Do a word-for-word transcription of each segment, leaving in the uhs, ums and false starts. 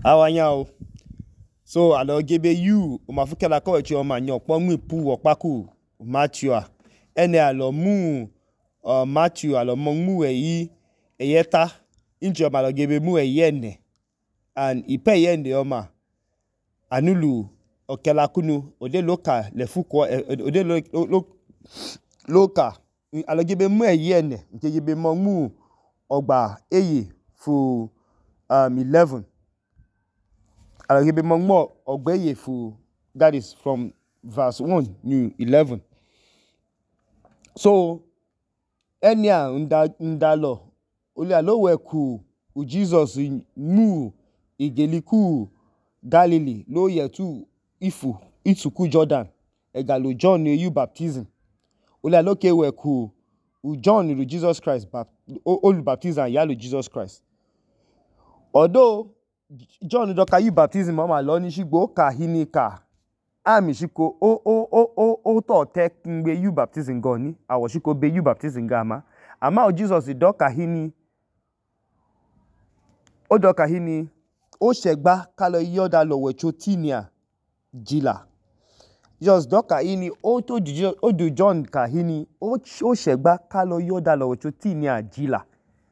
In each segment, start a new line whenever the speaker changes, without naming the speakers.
Awanyao. So alo gebe yu omafu kela ko wechi oma nyo po mu pu okpaku Matthew a. Ene alo mu uh, Matthew alo mu eyi eyeta inchi oma alo gebe mu eyene. And ipe yende oma anulu okela kunu ode loka lefuko ode lo, lo, lo, loka alo gebe mu eyene nke gebe mo mu ogba eye fu um eleven. Alo gebe mo mu ogba eye fu, that is from verse one to eleven. So enya nda ndalo oli alo weku u Jesus mu igeliku Galilee lo yetu ifu isuku Jordan egalo John yu baptism. Oli alo ke weku u John ru Jesus Christ bap olu baptism yalo Jesus Christ. Although John doka yu baptism mama lo ni shigbo ka hini ka ami shiko o o o o o to te ngbe yu baptism go ni awo shiko be yu baptism ga ama ama o Jesus doka hini o doka hini o shegba kalo yoda lo wecho tinia jila. Jesus doka hini o to du o du John ka hini o o shegba kalo yoda lo wecho tinia jila.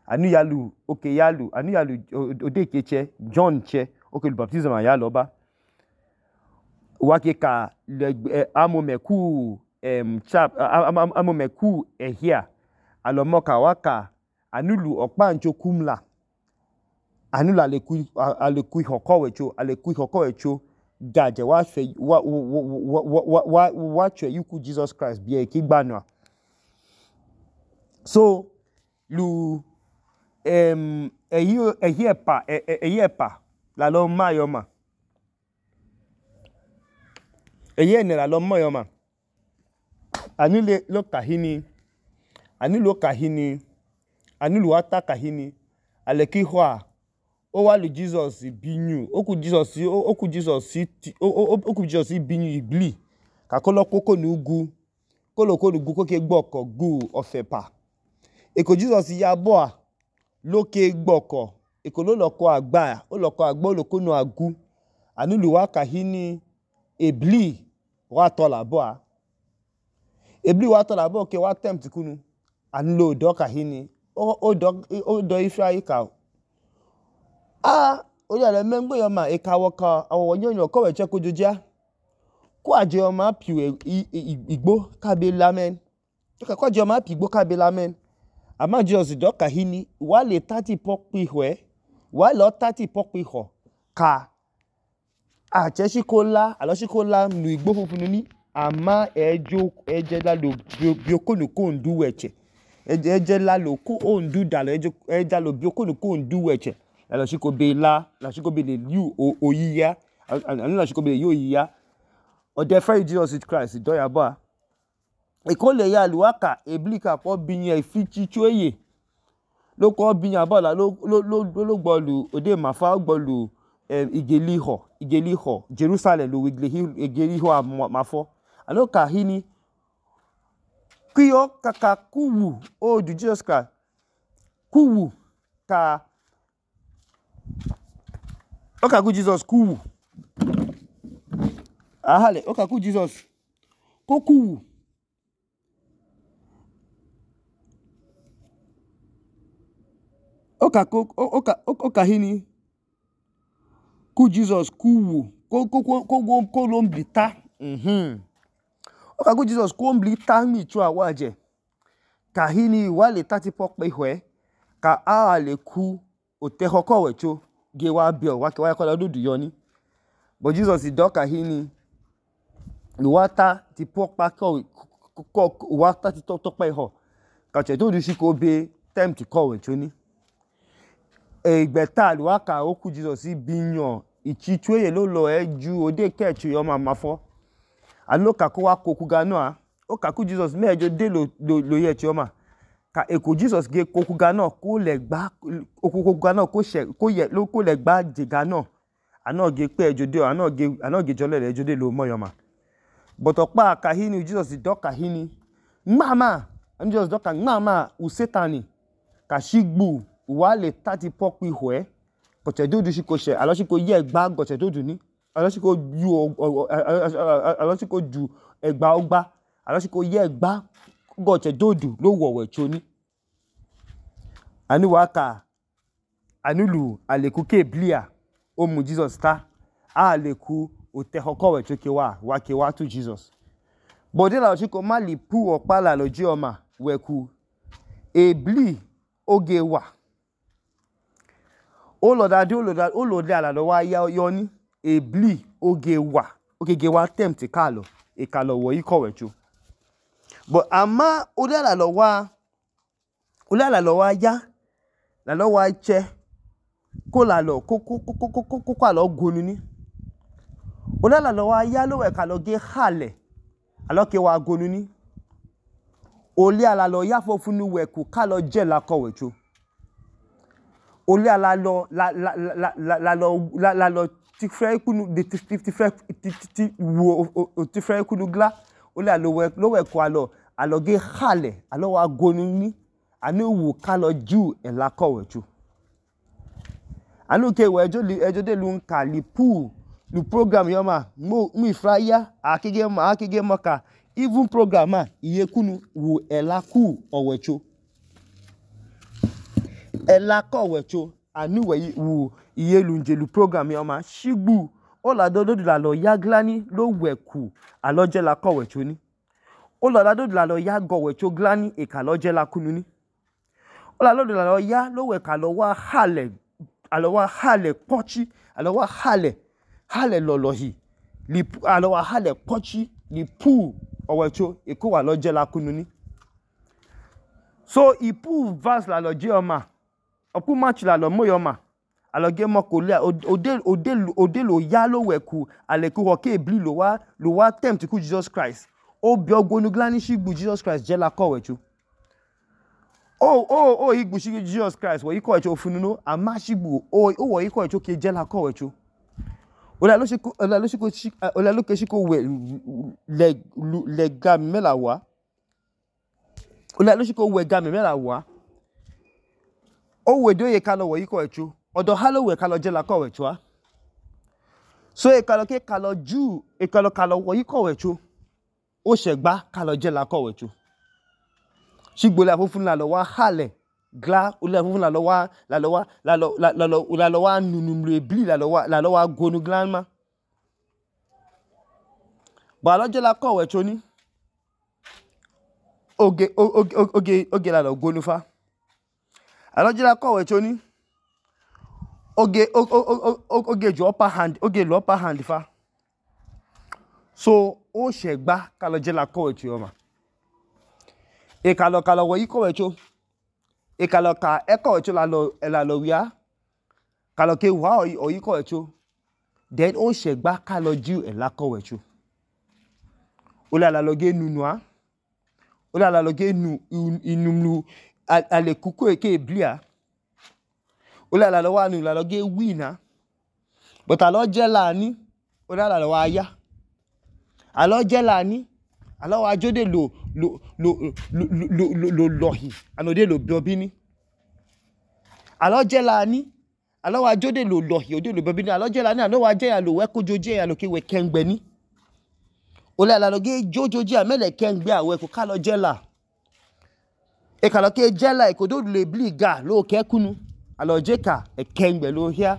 Anu yalu okay yalu anu yalu ode keche John che okay lu baptism a yalo ba. Wake ka le amomeku em chap amomeku ehia alo moka waka anulu okpancho kumla anulu aleku aleku hoko wecho aleku hoko wecho gaje wa fe wa wa wa wa wa che yuku Jesus Christ bi e kigbanu. So lu em ehi ehi epa ehi epa la lo mayoma ehi ene la lo mayoma anule lo kahini anulu kahini anulu ata kahini aleki hwa o wa lu Jesus binyu oku Jesus oku Jesus oku Jesus binyu igli ka kolo koko nugu kolo kolo gu koke gboko gu ofepa eko Jesus ya bo a loke gboko eko lo loko agba o loko agba o loko nu agu anulu wa kahini ebli wa to la bo a ebli wa to la bo ke wa tempt kunu anulu do kahini o o do o do ifra ka ah o ya le mengbe yo ma e ka wo ka awo yonyo ko we che ko joja ko aje o ma piu igbo ka be lamen to ka ko aje o ma pi igbo ka be lamen ama Jesus do kahini wa le thirty pokpi hwe wa lo thirty pokpi ho ka a che shikola alo shikola nu igbo funfun ni ama ejo eje la lo biokonu ko ndu weche eje la lo ko ondu dalo eje eja lo biokonu ko ndu weche alo shiko be la la shiko be le yu oyiya anu la shiko be yo oyiya o de fa Jesus Christ do ya ba e ko le ya luaka eblika ko binye ifichi chueye lo ko binya ba la lo lo lo gbolu ode mafa gbolu eh, igeliho igeliho Jerusalem lo igeliho igeliho mafo alo ka hini kiyo kaka kuwu o du Jesus Christ kuwu ka o ka ku Jesus kuwu ahale o ka ku Jesus ko kuwu o ka ko o ka o ka hini ku Jesus kuwu ko ko ko ko ko lo mblita mhm o ka ku Jesus ko mblita mi chu awaje ka hini wa le thirty pokpe hwe ka a le ku o te hoko wecho ge wa bi o wa ke wa ko la dudu yo ni but Jesus do ka hini lu wata ti pokpa ko ko wata ti tok tok pe ho ka che to du shi ko be time to call wecho ni egbeta lu aka oku Jesus binyo ichichueye lo lo eju ode kechu yo ma mafo alo ka ko wa koku ga no a o ka ku Jesus mejo de lo lo ye chi o ma ka eko Jesus ge koku ga no ko le gba koku ga no ko she ko ye lo ko le gba je ga no ana ge pe ejo de ana ge ana ge jole le ejo de lo mo yo ma but opa ka hini Jesus do ka hini mama and Jesus do ka mama u satani ka shigbu wa le thirty pokpi hwe gọ̀chẹ̀ dóòdù ṣì kò ṣẹ̀ àlọ́ ṣì kò yẹ ẹ̀gbá gọ̀chẹ̀ dóòdù ní àlọ́ ṣì kò ju àlọ́ ṣì kò ju ẹ̀gbá ọgbà àlọ́ ṣì kò yẹ ẹ̀gbá gọ̀chẹ̀ dóòdù ló wọ̀ wẹ̀tso ní. Àní wàá kà ànúlù àlèkù kéèblìà ó mú Jesus ta àlèkù òtẹ̀họkọ̀ wẹ̀tso ke wà wá ke wá tú Jesus. Bọ̀dé làlọ́ ṣì kò má lè pú ọ̀pá làlọ́ jí ọmà wẹ̀kù èblì oge wà. Ó lọ̀dàdé ó lọ̀dẹ àlàlọ́ wá yọ ní èblì oge wà ogege wá tẹ̀mtì kàlọ̀ ìkàlọ̀ wọ̀ yí kọ̀ wẹ̀tso. But àmá olé àlàlọ́ wá olé àlàlọ́ wá yá làlọ́ wá chẹ kó làlọ́ kó kó kó kó kó kó àlọ́ gonu ní. Olé àlàlọ́ wá yá lówẹ̀ kàlọ́ gé hàlẹ̀ àlọ́ ke wá gonu ní. Olé àlàlọ́ yá fọ́fúnú wẹ̀kù kàlọ́ jẹ́ làkọ̀ wẹ̀tso. Olé àlàlọ́ làlọ́ làlọ́ ti fẹ́ ikúnu de ti ti fẹ́ ti ti wo ti fẹ́ ikúnu glá olé àlọ́ lówẹ̀kù àlọ́ àlọ́ gé hàlẹ̀ àlọ́ wá gonu ní. Àní wù kàlọ́ jù ẹ̀ làkọ̀ wẹ̀tso. Àní ke wẹ̀ ẹjọ́ ẹjọ́ dé lu ń kà lì pú lu program yọ mà mú ìfra yá àkégé mọ̀ àkégé mọ̀ kà even program à iye kúnu wù ẹ̀ làkù ọ̀wẹ̀tso. Ẹ̀ làkọ̀ wẹ̀tso àní wẹ̀ wù iye lu ǹjẹ́ lu program yọ mà ṣígbù ó làdó dòdò làlọ́ yá glá ní ló wẹ̀kù àlọ́ jẹ́ làkọ̀ wẹ̀tso ní. Ó lọ̀dà dòdò làlọ́ yá gọ̀ wẹ̀tso glá ní ìkàlọ́ jẹ́ làkúnu ní. Ó lọ̀dà dòdò làlọ́ yá ló wẹ̀ kàlọ́ wá hàlẹ̀ àlọ́ wá hàlẹ̀ pọ́chí àlọ́ wá hàlẹ̀ hàlẹ̀ lọ̀lọ̀ hì lì àlọ́ wá hàlẹ̀ pọ́chí lì pú ọ̀wẹ̀tso ìkó wà lọ́ jẹ́ làkúnu ní. So ìpú verse làlọ́ jẹ́ ọmà ọ̀pú match làlọ́ mọ́ yọmà àlọ́ gé mọ́ kò lé òdè òdè òdè lò yá ló wẹ̀kù àlẹ̀kù ọ̀kẹ́ èblì lò wá lò wá tempt kú Jesus Christ. Ó bí ọgbónú glá ní ṣígbù Jesus Christ jẹ́ làkọ̀ wẹ̀tso. Ó ó ó ìgbù ṣígbù Jesus Christ wọ̀ yíkọ̀ wẹ̀tso fún nínú àmá ṣígbù ó ó wọ̀ yíkọ̀ wẹ̀tso ke jẹ́ làkọ̀ wẹ̀tso. Olè ló ṣe kó olè ló ṣe kó olè ló ṣe kó wẹ̀ lẹ̀ lẹ̀ gàmì mẹ́la wá. Olè ló ṣe kó wẹ̀ gàmì mẹ́la wá. Ó wẹ̀ dó yẹ kàlọ́ wọ̀ yíkọ̀ wẹ̀tso. Ọ̀dọ̀ hálò wẹ̀ kàlọ́ jẹ́ làkọ̀ wẹ̀tso á. So ìkàlọ́ ké kàlọ́ jù ìkàlọ́ kàlọ́ wọ̀ yíkọ̀ wẹ̀tso. Ó ṣẹ̀gbá kàlọ́ jẹ́ làkọ̀ wẹ̀tso. Ṣígbó lẹ́ àfúnfún làlọ́ wá hàlẹ̀ glá olè àfúnfún làlọ́ wá làlọ́ wá làlọ́ làlọ́ làlọ́ wá nùnùm lè blì làlọ́ wá làlọ́ wá gonu glá má. Bọ̀ àlọ́ jẹ́ làkọ̀ wẹ̀tso ní. Oge oge oge oge làlọ́ gonu fa. Àlọ́ jẹ́ làkọ̀ wẹ̀tso ní. Oge oge jù upper hand oge lù upper hand fa. So ó ṣẹ̀gbá kàlọ́ jẹ́ làkọ̀ wẹ̀tso ọmà. Ìkàlọ́ kàlọ́ wọ̀ yíkọ̀ wẹ̀tso. Ìkàlọ́ kà ẹ̀kọ̀ wẹ̀tso làlọ́ làlọ́ wíá. Kàlọ́ ké wà ọ̀ yíkọ̀ wẹ̀tso. Then ó ṣẹ̀gbá kàlọ́ jù ẹ̀ làkọ̀ wẹ̀tso. Olè àlọ́ gé nùnù á. Olè àlọ́ gé nù ìnùmù àlèkù ké èblì á. Olè àlọ́ wá nù làlọ́ gé win á. But àlọ́ jẹ́ làní olè àlọ́ wá yá. Àlọ́ jẹ́ làní àlọ́ wá jódè lò lò lò lò lò lò lọ̀hì ànòdè lò bíọ́bí ní. Àlọ́ jẹ́ làní àlọ́ wá jódè lò lọ̀hì òdè lò bíọ́bí ní. Àlọ́ jẹ́ làní àlọ́ wá jẹ́ yà lò wẹ́ kójó jẹ́ yà lò ké wẹ́ kẹ́ngbẹ́ ní. Olè àlọ́ gé jójó jẹ́ àmẹ́lẹ̀ kẹ́ngbẹ́ àwẹ̀ kò kàlọ́ jẹ́ là. Ìkàlọ́ ké jẹ́ là ìkòdó lè blì gà ló kẹ́kúnu. Àlọ́ jẹ́ kà ẹ̀kẹ́ngbẹ́ ló híá.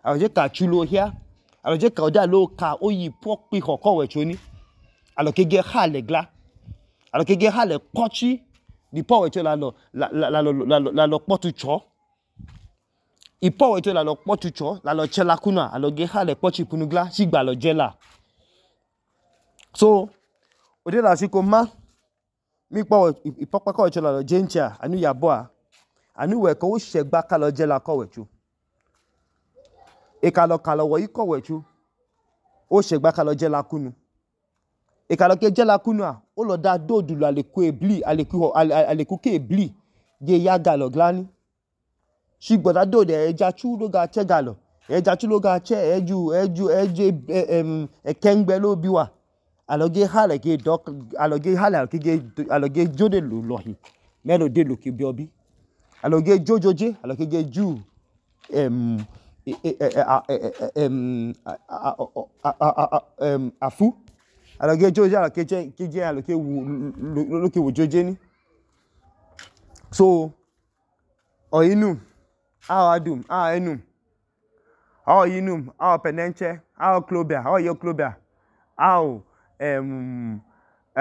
Àlọ́ jẹ́ kà tú ló híá. Àlọ́ jẹ́ kà ọ̀dà ló kà ó yí pọ́ pí kọ̀kọ̀ wẹ̀tso ní. Àlọ́ ké gé hàlẹ̀ glá. Àlọ́ ké gé hàlẹ̀ pọ́chí di pọ̀ wẹ̀tso làlọ́ làlọ́ làlọ́ pọ́tù tsọ́. Ìpọ̀ wẹ̀tso làlọ́ pọ́tù tsọ́ làlọ́ tsẹ́ làkúnà àlọ́ gé hàlẹ̀ pọ́chí punu glá ṣígbà àlọ́ jẹ́ là. So òdè là ṣí kò má mi pọ̀ ìpọ́pákọ̀ wẹ̀tso làlọ́ jẹ́ ń tsẹ́ ànú yàbọ̀ à. Ànú wẹ̀ kọ́ ó ṣẹ̀gbá kàlọ́ jẹ́ làkọ̀ wẹ̀tso. Ìkàlọ́ kàlọ́ wọ̀ yíkọ̀ wẹ̀tso. Ó ṣẹ̀gbá kàlọ́ jẹ́ làkúnu. Ìkàlọ́ ké jẹ́ làkúnu à ó lọ dá dòdù lọ àlèkù èblì àlèkù àlèkù ké èblì gé yá gàlọ́ glá ní. Ṣígbọ̀ dá dòdù ẹ̀ẹ́jà tú ló ga tsẹ́ gàlọ́ ẹ̀ẹ́jà tú ló ga tsẹ́ ẹ̀ẹ́jú ẹ̀ẹ́jú ẹ̀ẹ́jú ẹ̀kẹ́ngbẹ́ ló bí wà. Àlọ́ gé hàlẹ̀ gé dọ́k àlọ́ gé hàlẹ̀ àlọ́ gé jódè lò lọ̀hì mẹ́lò dé lò ké bíọ́bí. Àlọ́ gé jójó jẹ́ àlọ́ ké gé jù afu alọge joje alọ keje alọ ke wu joje ni. So ọyinum awọ adum awọ enum awọ yinum awọ pẹnẹnchẹ awọ oklobia awọ ya oklobia awọ um,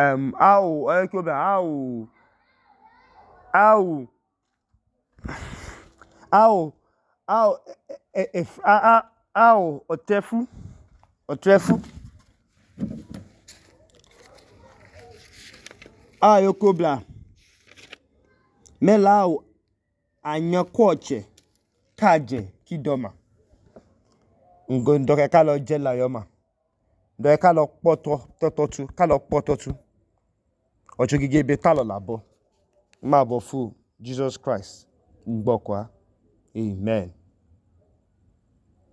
um, awọ ọya oklobia awọ awọ awọ awọ awọ ọtẹfu ọtẹfu awọ ya oklobia mẹla awọ anyakwọchẹ kajẹ kidọma ndọka kalọ jẹla yọma ndọka kalọ kpọtọtu kalọ kpọtọtu ọchọgige be talọ labọ nmabọ fu Jesus Christ ngbọkwa amen.